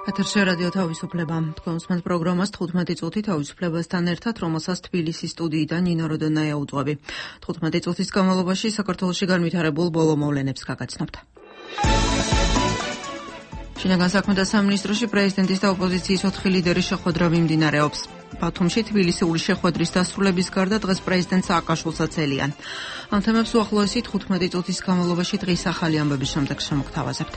ეთერში რადიო თავისუფლება. თქვენ უსმენთ პროგრამას 15 წუთი თავისუფლებასთან ერთად, რომელსაც თბილისის სტუდიიდან ნინო როდონაია უძღვები. 15 წუთის განმავლობაში საქართველოში განვითარებულ ბოლო მოვლენებს გაგაცნობთ. შინაგან საქმეთა სამინისტროში პრეზიდენტის და ოპოზიციის 4 ლიდერის შეხვედრა მიმდინარეობს. ბათუმში თბილისური შეხვედრის დასრულების გარდა დღეს პრეზიდენტ სააკაშვილსაც ელიან. ამ თემებს უახლოესი 15 წუთის განმავლობაში დღის ახალი ამბების შემდეგ შემოგთავაზებთ.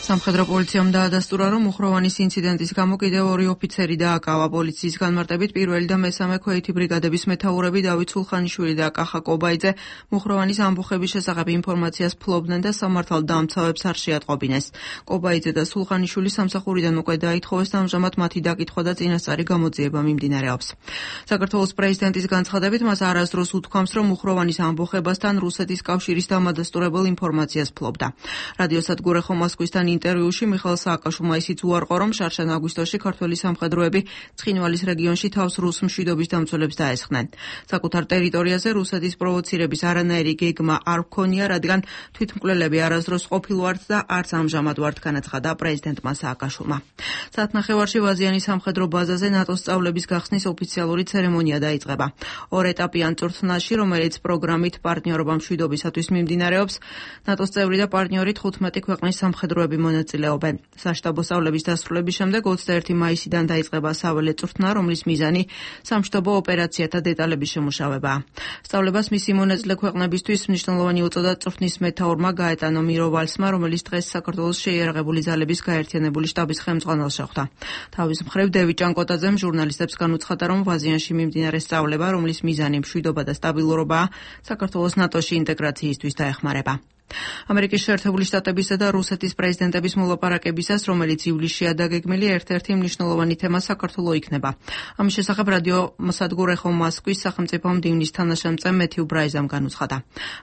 სამხედრო პოლიციამ დაადასტურა, რომ მუხროვანის ინციდენტის გამო კიდევ 2 ოფიცერი დააკავა. პოლიციის განმარტებით პირველი და მესამე ქვეითი ბრიგადების მეთაურები დავით სულხანიშვილი და კახა კობაიძე მუხროვანის ამბოხების შესახებ ინფორმაციას ფლობდნენ და სამართალ დამცავებს არ შეატყობინეს. კობაიძე და სულხანიშვილი სამსახურიდან უკვე დაითხოვეს და ამჟამად მათი დაკითხვა და წინასწარი გამოძიება მიმდინარეობს. საქართველოს პრეზიდენტის განცხადებით მას არასდროს უთქვამს, რომ მუხროვანის ამბოხებასთან რუსეთის კავშირის დამადასტურებელ ინფორმაციას ფლობდა. რადიოსადგურ ეხო მოსკოვისთან ინტერვიუში მიხეილ სააკაშვილმა ისიც უარყო, რომ შარშან აგვისტოში ქართველი სამხედროები ცხინვალის რეგიონში თავს რუს მშვიდობის დამცველებს დაესხნენ. საკუთარ ტერიტორიაზე რუსეთის პროვოცირების არანაირი გეგმა არ ჰქონია, რადგან თვითმკვლელები არასდროს ყოფილვართ და არც ამჟამად ვართ, განაცხადა პრეზიდენტმა სააკაშვილმა. საათნახევარში ვაზიანის სამხედრო ბაზაზე ნატოს სწავლების გახსნის ოფიციალური ცერემონია დაიწყება. 2 ეტაპიან წვრთნაში, რომელიც პროგრამით პარტნიორობა მშვიდობისათვის მიმდინარეობს, ნატოს წევრი და პარტნიორი 15 ქვეყნის სამხედროები მონაწილეობენ. საშტაბო სწავლების დასრულების შემდეგ 21 მაისიდან დაიწყება საველე წვრთნა, რომლის მიზანი სამშტაბო ოპერაციათა დეტალების შემუშავებაა. სწავლებას მისი მონაწილე ქვეყნებისთვის მნიშვნელოვანი უწოდა წვრთნის მეთაურმა გაეტანო მიროვალსმა, რომელიც დღეს საქართველოს შეიარაღებული ძალების გაერთიანებული შტაბის ხელმძღვანელს შეხვდა. თავის მხრივ დევიდ ჭანკოტაძემ ჟურნალისტებს განუცხადა, რომ ვაზიანში მიმდინარე სწავლება, რომლის მიზანი მშვიდობა და სტაბილურობაა, საქართველოს ნატოში ინტეგრაციისთვის დაეხმარება. ამერიკის შეერთებული შტატებისა და რუსეთის პრეზიდენტების მოლაპარაკებისას, რომელიც ივლისშია დაგეგმილი, ერთ-ერთი მნიშვნელოვანი თემა საქართველო იქნება. ამის შესახებ რადიოსადგურ ეხო მოსკოვის სახელმწიფო მდივნის თანაშემწე მეთიუ ბრაიზამ განუცხადა.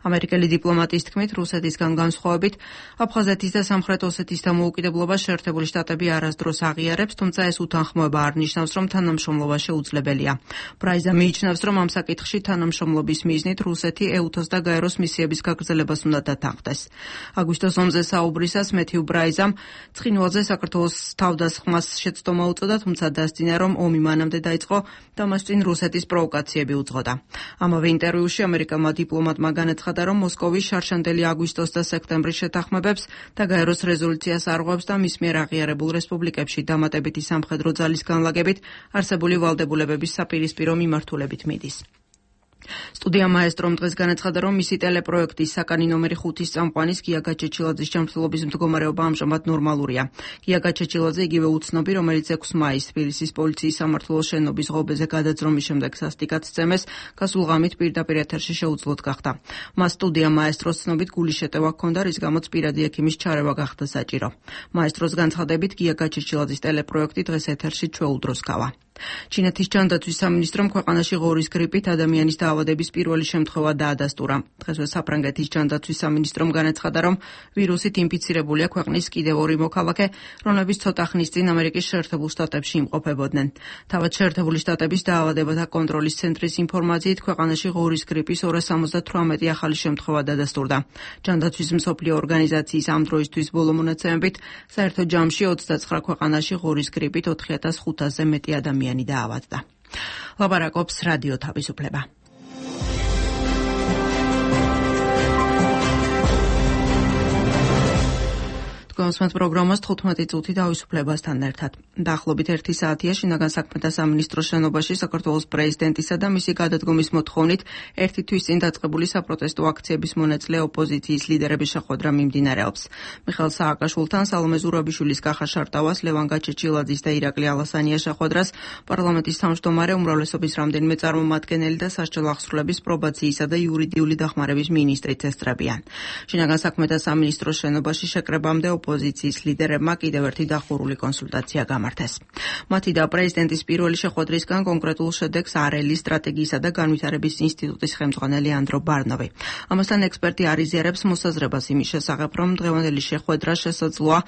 ამერიკელი დიპლომატის თქმით, რუსეთისგან განსხვავებით, აფხაზეთის და სამხრეთ ოსეთის დამოუკიდებლობას შეერთებული შტატები არასდროს აღიარებს, თუმცა ეს უთანხმოება არ ნიშნავს, რომ თანამშრომლობა შეუძლებელია. ბრაიზა მიიჩნევს, რომ ამ საკითხში თანამშრომლობის მიზნით რუსეთი ეუთოს და გაეროს მისიების გაგრძელებას უნდა დათანხმდეს. აგვისტოს ომზე საუბრისას მეთიუ ბრაიზამ ცხინვალზე საქართველოს თავდასხმას შეცდომა უწოდა, თუმცა დასძინა, რომ ომი მანამდე დაიწყო და მას წინ რუსეთის პროვოკაციები უძღოდა. ამავე ინტერვიუში ამერიკელმა დიპლომატმა განაცხადა, რომ მოსკოვი შარშანდელი აგვისტოს და სექტემბრის შეთანხმებებს და გაეროს რეზოლუციას არღვევს და მის მიერ აღიარებულ რესპუბლიკებში დამატებითი სამხედრო ძალის განლაგებით არსებული ვალდებულებების საპირისპირო მიმართულებით მიდის. სტუდია მაესტრომ დღეს განაცხადა, რომ მისი ტელეპროექტის საკანი ნომერი 5-ის წამყვანის გია გაჩეჩილაძის ჯანმრთელობის მდგომარეობა ამჟამად ნორმალურია. გია გაჩეჩილაძე იგივე უცნობი, რომელიც 6 მაისს თბილისის პოლიციის სამმართველოს შენობის ღობეზე გადაძრომის შემდეგ სასტიკად სცემეს, გასულ ღამით პირდაპირ ეთერში შეუძლოდ გახდა. მას სტუდია მაესტროს ცნობით გულის შეტევა ჰქონდა, რის გამოც პირადი ექიმის ჩარევა გახდა საჭირო. მაესტროს განცხადებით, გია გაჩეჩილაძის ტელეპროექტი დღეს ეთერში ჩვეუldროს გავა. ჩინეთის ჯანდაცვის სამინისტრომ ქვეყანაში ღორის გრიპით ადამიანის დაავადების პირველი შემთხვევა დაადასტურა. დღესვე საფრანგეთის ჯანდაცვის სამინისტრომ განაცხადა, რომ ვირუსით ინფიცირებულია ქვეყნის კიდევ 2 მოქალაქე, რომლებიც ცოტა ხნის წინ ამერიკის შეერთებულ შტატებში იმყოფებოდნენ. თავად შეერთებული შტატების დაავადებათა კონტროლის ცენტრის ინფორმაციით, ქვეყანაში ღორის გრიპის 278 ახალი შემთხვევა დადასტურდა. ჯანდაცვის მსოფლიო ორგანიზაციის ამ დროისთვის ბოლო მონაცემებით, საერთო ჯამში 29 ქვეყანაში ღორის გრიპით 4500-ზე მეტი ადამიანი დაავადდა. ლაპარაკობს რადიო თავისუფლება. გონსმენთ პროგრამას 15 წუთი თავისუფლებასთან ერთად. დაახლოებით 1 საათია შინაგან საქმეთა სამინისტროს შენობაში საქართველოს პრეზიდენტისა და მისი გადადგომის მოთხოვნით 1 თვის წინ დაწყებული საპროტესტო აქციების მონაწილე ოპოზიციის ლიდერების შეხვედრა მიმდინარეობს. მიხეილ სააკაშვილთან, სალომე ზურაბიშვილის, კახა შარტავას, ლევან გაჩეჩილაძის და ირაკლი ალასანიას შეხვედრას პარლამენტის თავმჯდომარე, უმრავლესობის რამდენიმე წარმომადგენელი და სასჯელ აღსრულების პრობაციისა და იურიდიული დახმარების მინისტრიც ესწრებიან. შინაგან საქმეთა სამინისტროს შენობაში შეკრებამდე ოპოზიციის ლიდერებმა კიდევ ერთი დახურული კონსულტაცია გამართეს. მათი და პრეზიდენტის პირველი შეხვედრისგან კონკრეტულ შედეგს არელის სტრატეგიისა და განვითარების ინსტიტუტის ხელმძღვანელი ანდრო ბარნოვი. ამასთან ექსპერტი არიზიარებს მოსაზრებას იმის შესახებ, რომ დღევანდელი შეხვედრა შესაძლოა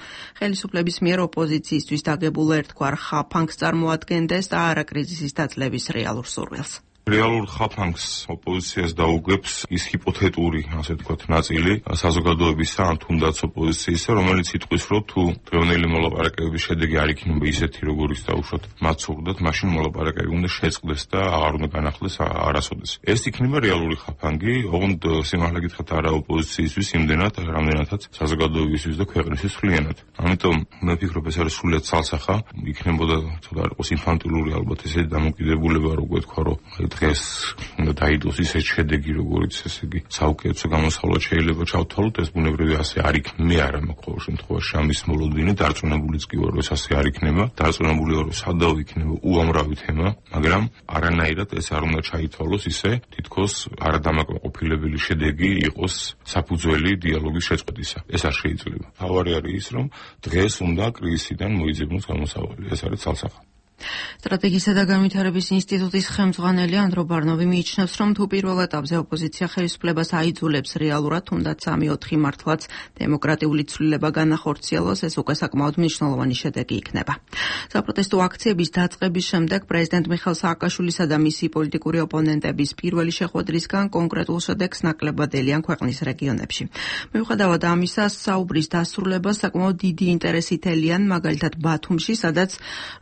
ხელისუფლების მიერ ოპოზიციისთვის დაგებულ ერთგვარ ხაფანგს წარმოადგენდეს და არა კრიზისის დაძლევის რეალურ სურვილს. რეალურ ხაფანგს ოპოზიციას დაუგებს ის ჰიპოთეტური, ასე ვთქვათ, ნაწილი საზოგადოებისა, ან თუნდაც ოპოზიციისა, რომელიც იტყვის, რომ თუ დღევანდელი მოლაპარაკებების შედეგი არ იქნება ისეთი, როგორიც დაუშვათ მათ სურდათ, მაშინ მოლაპარაკებები უნდა შეწყდეს და აღარ უნდა განახლდეს არასოდეს. ეს იქნება რეალური ხაფანგი, ოღონდ სიმართლე გითხრათ არა ოპოზიციისთვის, იმდენად, რამდენადაც საზოგადოებისთვის და ქვეყნისთვის სრულიანად. ამიტომ მე ვფიქრობ, ეს არის სრულიად ცალსახა, იქნებოდა ცოტა არ იყოს ინფანტილური ალბათ ესეთი დამოკიდებულება, როგორ თქვა, რომ დღეს უნდა დაიდოს ისეთ შედეგი, როგორც ესე იგი საუკეთესო გამოსავლა შეიძლება ჩავთვალოთ, ეს ბუნებრივი ასე არ იქნება. მე არა მაქვს ყოველ შემთხვევაში ამის მოლოდინი, დარწმუნებულიც კი ვარ, რომ ეს ასე არ იქნება. დარწმუნებული ვარ, რომ სადავ იქნება უამრავი თემა, მაგრამ არანაირად ეს არ უნდა ჩაითვალოს ისე, თითქოს არადამაკმაყოფილებელი შედეგი იყოს საფუძველი დიალოგის შეწყვეტისა. ეს არ შეიძლება. თავარი არის ის, რომ დღეს უნდა კრიზისიდან მოიძებნოს გამოსავალი. ეს არის ცალსახა. სტრატეგიისა და განვითარების ინსტიტუტის ხელმძღვანელი ანდრო ბარნოვი მიიჩნევს, რომ თუ პირველ ეტაპზე ოპოზიცია ხელისუფლებას აიძულებს რეალურად, თუნდაც 3-4 მართლაც დემოკრატიული ცვლილება განახორციელოს, ეს უკვე საკმაოდ მნიშვნელოვანი შედეგი იქნება. საპროტესტო აქციების დაწყების შემდეგ პრეზიდენტ მიხეილ სააკაშვილისა და მისი პოლიტიკური ოპონენტების პირველი შეხვედრისგან კონკრეტულ შედეგს ნაკლებად ელიან ქვეყნის რეგიონებში. მიუხედავად ამისა, საუბრის დასრულებას საკმაოდ დიდი ინტერესით ელიან, მაგალითად ბათუმში, სადაც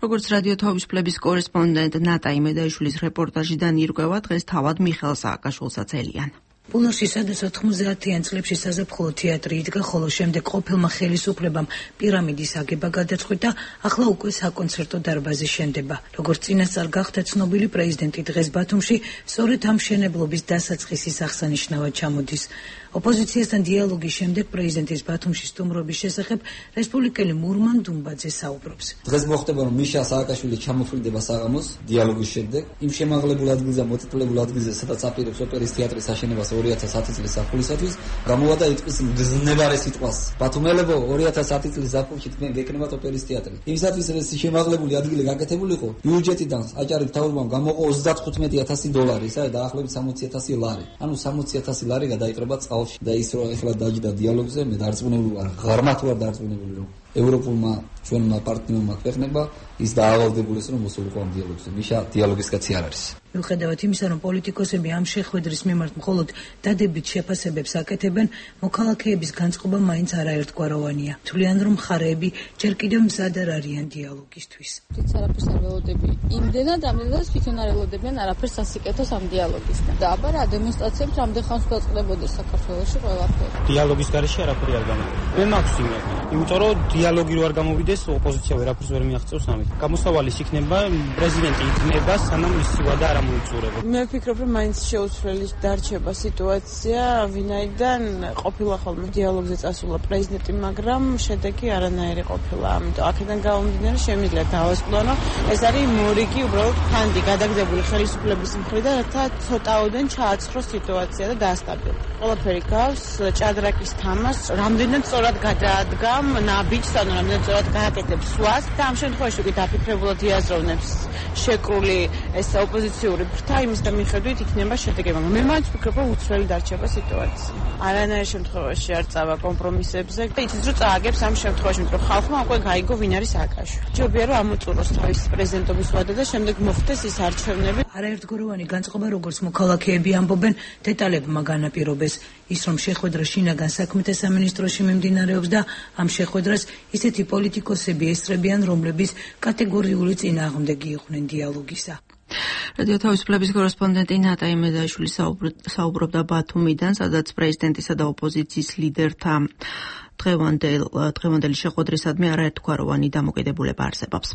როგორც რადიო თაობის ფლების კორესპონდენტ ნატა იმედაიშვილის რეპორტაჟიდან ირკვევა, დღეს თავად მიხეილ სააკაშვილსაც ელიან. პულნოში, სადაც 90-იან წლებში საზაფხულო თეატრი იდგა, ხოლო შემდეგ ყოფილმა ხელისუფლებამ პირამიდის აგება გადაწყვიტა, ახლა უკვე საკონცერტო დარბაზი შენდება. როგორც წინასწარ გახდა ცნობილი, პრეზიდენტი დღეს ბათუმში სწორედ ამ მშენებლობის დასაწყისის აღსანიშნავად ჩამოდის. ოპოზიციასთან დიალოგის შემდეგ პრეზიდენტის ბათუმში სტუმრობის შესახებ რესპუბლიკელი მურმან დუმბაძე საუბრობს. დღეს მოხდება, რომ მიშა სააკაშვილი ჩამოფრინდება საღამოს დიალოგის შემდეგ. იმ შემაღლებულ ადგილზე, მოციტებულ ადგილზე, სადაც აპირებს ოპერის თეატრის აშენებას 2010 წლის ზაფხულისათვის, გამოვადა იტყვის მგზნებარე სიტყვას. ბათუმელებო, 2010 წლის ზაფხულში თქვენ გეკნებათ ოპერის თეატრი. იმისათვის, რომ ეს შემაღლებული ადგილი გაკეთებულიყო, ბიუჯეტიდან აჭარი მთავრობამ გამოყო $35,000, ესაა დაახლოებით 60,000 ლარი. ანუ 60,000 ლარი გადაიყრება წყალში. და ის რომ ახლა დაჯდა დიალოგზე, მე დარწმუნებული ვარ, ღრმად ვარ დარწმუნებული, რომ ევროპულმა ჩვენმა პარტნიორმა ქვეყნებმა ის დაავალდებულეს, რომ მოსულიყო ამ დიალოგზე. მიშა დიალოგის კაცი არ არის. მიუხედავად იმისა, რომ პოლიტიკოსები ამ შეხვედრის მიმართ მხოლოდ დადებით შეფასებებს აკეთებენ, მოქალაქეების განწყობა მაინც არაერთგვაროვანია. თვლიან, რომ მხარეები ჯერ კიდევ მზად არ არიან დიალოგისთვის. არაფერს არ ველოდები იმდენად, ამდენადაც თვითონ არ ველოდებიან არაფერს ასიკეთოს ამ დიალოგისგან. და აბა რა დემონსტრაციებს რამდენ ხანს დაწყდებოდეს საქართველოში ყველაფერი. დიალოგის გარეშე არაფერი არ გამოდის. მე მაქვს იმედი, იმიტომ რომ დიალოგი რო არ გამოვიდეს, ოპოზიცია ვერაფერს ვერ მიაღწევს ამით. გამოსავალის იქნება, პრეზიდენტი იქნება, სანამ მისი ვადა არ მოიწურება. მე ვფიქრობ, რომ მაინც შეუცვლელი დარჩება სიტუაცია, ვინაიდან ყოფილა ხოლმე დიალოგზე წასულა პრეზიდენტი, მაგრამ შედეგი არანაირი ყოფილა. ამიტომ აქედან გამომდინარე შემიძლია დავასწავლო, ეს არის მორიგი უბრალოდ ფანდი გადაგდებული ხელისუფლების მხრიდან, რათა ცოტაოდენ ჩააცხროს სიტუაცია და დაასტაბილოს. ყველაფერი გავს ჭადრაკის თამას, რამდენად სწორად გადაადგამ ნაბიჯს, ანუ რამდენად სწორად გააკეთებს სვას და ამ შემთხვევაში უკვე დაფიქრებულად იაზროვნებს შეკრული ეს ოპოზიციური ფრთა იმის და მიხედვით იქნება შედეგი. მაგრამ მე მაინც ვფიქრობ, რომ უცვლელი დარჩება სიტუაცია. არანაირ შემთხვევაში არ წავა კომპრომისებზე და იცის, რომ წააგებს ამ შემთხვევაში, რომ ხალხმა უკვე გაიგო, ვინ არის სააკაშვილი. ჯობია, რომ ამოწუროს თავის პრეზიდენტობის ვადა და შემდეგ მოხდეს ის არჩევნები. არაერთგვაროვანი განწყობა, როგორც მოქალაქეები ამბობენ, დეტალებმა განაპირობეს ის, რომ შეხვედრა შინაგან საქმეთა სამინისტროში მიმდინარეობს და ამ შეხვედრას ისეთი პოლიტიკოსები ესწრებიან, რომლების კატეგორიული წინააღმდეგი იყვნენ დიალოგისა. რადიო თავის ფლების კორესპონდენტი ნატა იმედაიშვილი საუბრობდა ბათუმიდან, სადაც პრეზიდენტისა და ოპოზიციის ლიდერთა დღევანდელი შეხვედრისადმი არაერთგვაროვანი დამოკიდებულება არსებობს.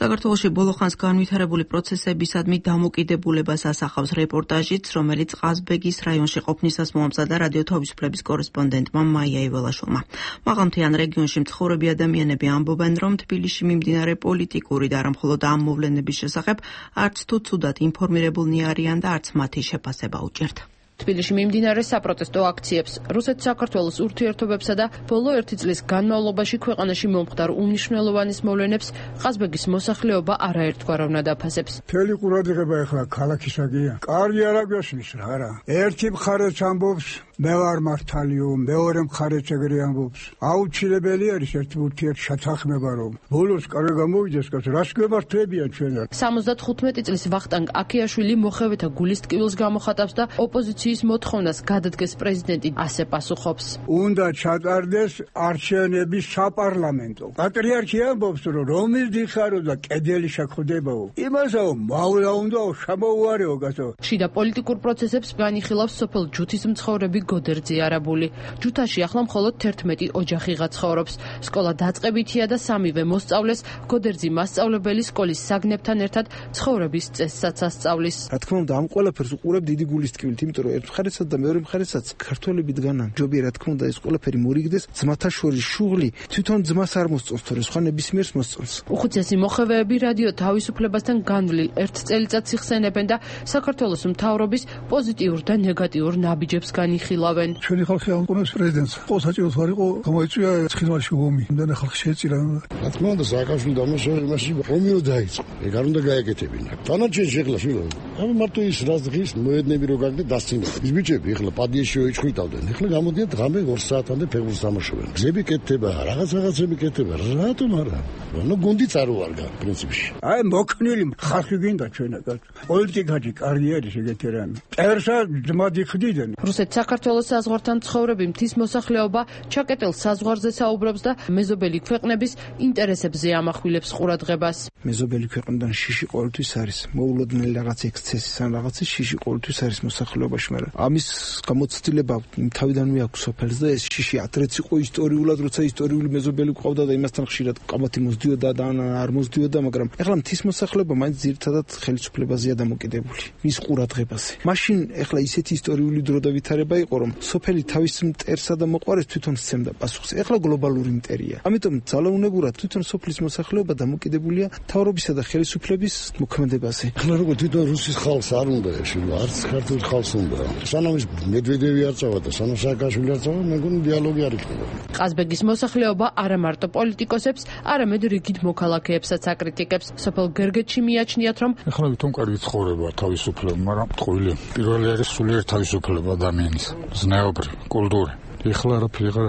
საქართველოში ბოლო ხანს განვითარებული პროცესებისადმი დამოკიდებულებას ასახავს რეპორტაჟიც, რომელიც ყაზბეგის რაიონში ყოფნისას მოამზადა რადიო თავისუფლების კორესპონდენტმა მაია იველაშვილმა. მაღალმთიან რეგიონში მცხოვრები ადამიანები ამბობენ, რომ თბილისში მიმდინარე პოლიტიკური და არა მხოლოდ ამ მოვლენების შესახებ არც თუ ცუდად ინფორმირებულნი არიან და არც მათი შეფასება უჭერთ. თბილისში მიმდინარე საპროტესტო აქციებს, რუსეთ-საქართველოს ურთიერთობებსა და ბოლო 1 წლის განმავლობაში ქვეყანაში მომხდარ უმნიშვნელოვანის მოვლენებს ყაზბეგის მოსახლეობა არაერთგვაროვნად აფასებს. მთელი ყურადღება ახლა ქალაქისაგია. კარგი არ აგვესმის რა. ერთი მხარეც ამბობს მე ვარ მართალიო, მეორე მხარეც ეგრე ამბობს. აუცილებელი არის ერთი ურთიერთშეთანხმება რომ ბოლოს კარგი გამოვიდეს, რას გვემართებიან ჩვენ. 75 წლის ვახტანგ აქიაშვილი მოხევეთა გულის ტკივილს გამოხატავს და ოპოზიციის მოთხოვნას გადადგეს პრეზიდენტი ასე პასუხობს. უნდა ჩატარდეს არჩევნები საპარლამენტო. პატრიარქი ამბობს რომ რომის დიხარო და კედელი შეხვდებაო. იმასაო მოვლა უნდაო შემოუარეო გასო. შიდა პოლიტიკურ პროცესებს განიხილავს სოფელ ჯუთის მცხოვრები გოდერძი არაბული. ჯუთაში ახლა მხოლოდ 11 ოჯახიღა ცხოვრობს. სკოლა დაწყებითია და 3-ვე მოსწავლეს გოდერძი მასწავლებელი სკოლის საგნებთან ერთად ცხოვრების წესსაც ასწავლის. რა თქმა უნდა, ამ ყველაფერს უყურებ დიდი გულის ტკივილით, იმიტომ რომ ერთ მხარესაც და მეორე მხარესაც ქართველები დგანან. ჯობია რა თქმა უნდა ეს ყველაფერი მორიგდეს, ძმათა შორის შუღლი თვითონ ძმას არ მოსწონს, თორე სხვა ნებისმიერს მოსწონს. უხუცესი მოხევეები რადიო თავისუფლებასთან განვლილ ერთ წელიწადს იხსენებენ და საქართველოს მთავრობის პოზიტიურ და ნეგატიურ ნაბიჯებს განიხილავენ. ჩვენი ხალხი ამკონებს პრეზიდენტს. ყო საჭიროს არ იყო, გამოიწვია ცხინვალში ომი. იმდანე ხალხი შეეწირა. რა თქმა უნდა, სააკაშვილი დამოსველი იმაში ომიო დაიწყო. ეგ არ უნდა გაეკეთებინა. დანარჩენი შეხლა შვილო. ამ მარტო ის რაც დღის მოედნები რო გაგდე დასცინა. ის ბიჭები ახლა პადიეში ოიჩხვიტავდნენ. ახლა გამოდიან ღამე 2 საათამდე ფეხბურთს თამაშობენ. გზები კეთდება, რაღაცები კეთდება. რატომ არა? ნუ გუნდიც არ უარგა პრინციპში. აი მოქნილი ხალხი გინდა ჩვენაგან. პოლიტიკაში კარგი არის ეგეთი რამე. წერსა ძმად იხდიდნენ. რუსეთ-საქართველოს საზღვართან მცხოვრები მთის მოსახლეობა ჩაკეტილ საზღვარზე საუბრობს და მეზობელი ქვეყნების ინტერესებზე ამახვილებს ყურადღებას. მეზობელი ქვეყნიდან შიში ყოველთვის არის. მოულოდნელი რაღაც ექსცესის ან რაღაცის შიში ყოველთვის არის მოსახლეობაში, მაგრამ ამის გამოცდილება თავიდანვე აქვს სოფელს და ეს შიში ადრეც იყო ისტორიულად, როცა ისტორიული მეზობელი ყავდა და იმასთან ხშირად ყამათი მოსდიოდა და არ მოსდიოდა, მაგრამ ეხლა მთის მოსახლეობა მაინც ძირითადად ხელისუფლებაზეა დამოკიდებული. მის ყურადღებაზე. მაშინ ეხლა ისეთი ისტორიული დრო და ვითარება იყო, რომ სოფელი თავის მტერსა და მოყვარეს თვითონ სცემდა პასუხს. ეხლა გლობალური მტერია. ამიტომ ძალაუნებურად თვითონ სოფლის მოსახლეობა დამოკიდებულია მთავრობისა და ხელისუფლების მოქმედებაზე. ახლა როგორ თვითონ რუსის ხალხს არ უნდა ეშილო, არც ქართულ ხალხს უნდა. სანამ ის მედვედევი არ წავა და სანამ სააკაშვილი არ წავა, მეგონი დიალოგი არ იქნება. ყაზბეგის მოსახლეობა არა მარტო პოლიტიკოსებს, არამედ რიგით მოქალაქეებსაც აკრიტიკებს. სოფელ გერგეთში მიაჩნიათ, რომ ახლა თვითონ კარგი ცხოვრება თავისუფლება, მაგრამ ტყუილი. პირველი არის სულიერ თავისუფლება ადამიანის, ზნეობრივ, კულტური. ეხლა არაფერი აღარ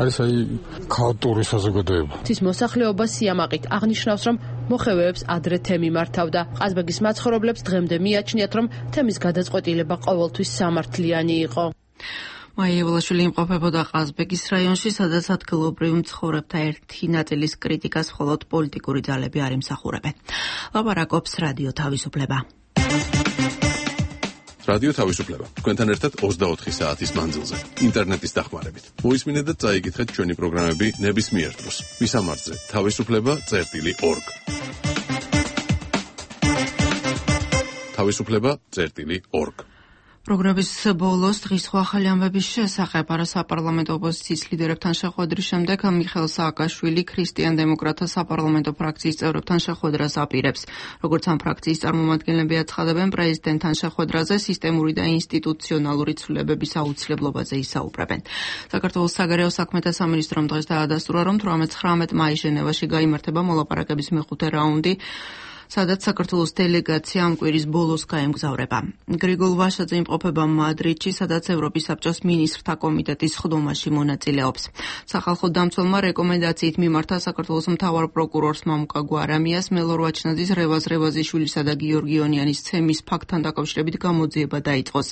არის აი ქაოტური საზოგადოება. ის მოსახლეობა სიამაყით აღნიშნავს, რომ მოხევეებს ადრე თემი მართავდა. ყაზბეგის მაცხოვრებლებს დღემდე მიაჩნიათ, რომ თემის გადაწყვეტილება ყოველთვის სამართლიანი იყო. მაია ევლაშვილი იმყოფებოდა ყაზბეგის რაიონში, სადაც ადგილობრივ მცხოვრებთა ერთი ნაწილის კრიტიკას მხოლოდ პოლიტიკური ძალები არ იმსახურებენ. ლაპარაკობს რადიო თავისუფლება. რადიო თავისუფლება. თქვენთან ერთად 24 საათის მანძილზე. ინტერნეტის დახმარებით. მოისმინეთ და წაიკითხეთ ჩვენი პროგრამები ნებისმიერ დროს. მისამართზე თავისუფლება.org. თავისუფლება.org. პროგრამის ბოლოს დღის ახალი ამბების შესახებ არასაპარლამენტო ოპოზიციის ლიდერებთან შეხვედრის შემდეგ მიხეილ სააკაშვილი ქრისტიან დემოკრატთა საპარლამენტო ფრაქციის წევრებთან შეხვედრას აპირებს. როგორც ამ ფრაქციის წარმომადგენლები აცხადებენ, პრეზიდენტთან შეხვედრაზე სისტემური და ინსტიტუციონალური ცვლილებების აუცილებლობაზე ისაუბრებენ. საქართველოს საგარეო საქმეთა სამინისტრომ დღეს დაადასტურა, რომ 18 მაისს ჟენევაში გაიმართება მოლაპარაკების მეხუთე რაუნდი, სადაც საქართველოს დელეგაცია ამ კვირის ბოლოს გაემგზავრება. გრიგოლ ვაშაძე იმყოფება მადრიდში, სადაც ევროპის საბჭოს მინისტრთა კომიტეტის სხდომაში მონაწილეობს. სახალხო დამცველმა რეკომენდაციით მიმართა საქართველოს მთავარ პროკურორს მამუკა გვარამიას მელორ ვაჩნაძის, რევაზ რევაზიშვილისა და გიორგიონიანის ცემის ფაქტთან დაკავშირებით გამოძიება დაიწყოს.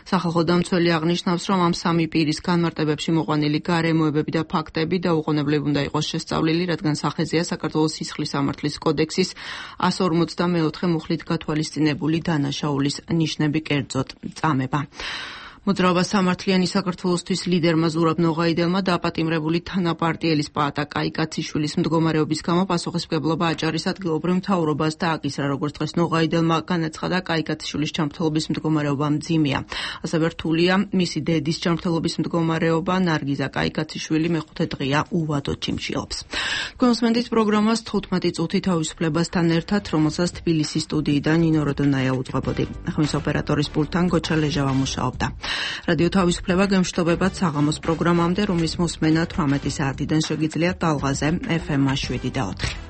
სახალხო დამცველი აღნიშნავს, რომ ამ სამი პირის განმარტებებში მოყვანილი გარემოებები და ფაქტები დაუყოვნებლივ უნდა იყოს შესწავლილი, რადგან სახეზეა საქართველოს სისხლის სამართლის კოდექსის 154 მუხლით გათვალისწინებული დანაშაულის ნიშნები კერძოდ წამება. მოძრაობა სამართლიანი საქართველოსთვის ლიდერმა ზურაბ ნოღაიდელმა დაპატიმრებული თანაპარტიელის პაატა კაიკაციშვილის მდგომარეობის გამო პასუხისმგებლობა აჭარის ადგილობრივ მთავრობას დააკისრა, როგორც დღეს ნოღაიდელმა განაცხადა, კაიკაციშვილის ჯანმრთელობის მდგომარეობა მძიმეა. ასევე რთულია მისი დედის ჯანმრთელობის მდგომარეობა. ნარგიზა კაიკაციშვილი მეხუთე დღეა უვადოდ ჩიმჩილობს. თქვენსმენდით პროგრამას 15 წუთი თავისუფლებასთან ერთად, რომელსაც თბილისის სტუდიიდან ნინო როდონაია უძღვებოდი. ხმის ოპერატორის პულტთან გოჩა ლეჟავა მუშაობდა. რადიო თავისუფლება გემშვიდობებად საღამოს პროგრამამდე, რომლის მოსმენა 18 საათიდან შეგიძლიათ ტალღაზე FM 7 და 4.